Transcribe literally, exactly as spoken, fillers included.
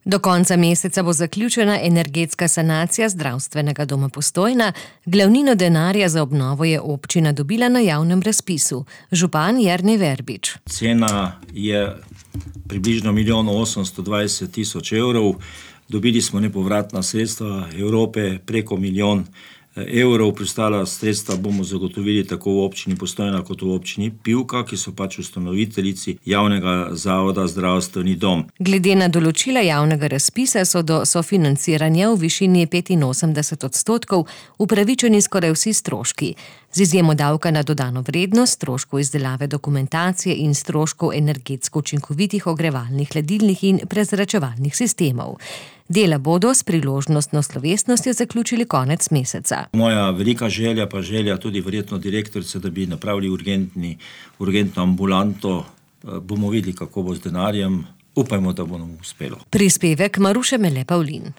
Do konca meseca bo zaključena energetska sanacija zdravstvenega doma Postojna. Glavnino denarja za obnovo je občina dobila na javnem razpisu. Župan Jernej Verbič. Cena je približno milijon osemsto dvajset tisoč evrov. Dobili smo nepovratna sredstva Evrope preko milijon evrov. Preostala sredstva bomo zagotovili tako v občini Postojna kot v občini Pivka, ki so pač ustanoviteljici javnega zavoda Zdravstveni dom. Glede na določila javnega razpisa so do sofinanciranja v višini petinosemdeset odstotkov upravičeni skoraj vsi stroški. Z izjemo davka na dodano vrednost, stroškov izdelave dokumentacije in stroškov energetsko učinkovitih ogrevalnih, hladilnih in prezračevalnih sistemov. Dela bodo s priložnostno slovesnostjo zaključili konec meseca. Moja velika želja, pa želja tudi verjetno direktorice, da bi napravili urgentni, urgentno ambulanto. Bomo videli, kako bo z denarjem. Upajmo, da bo nam uspelo. Prispevek Maruše Mele Pavlin.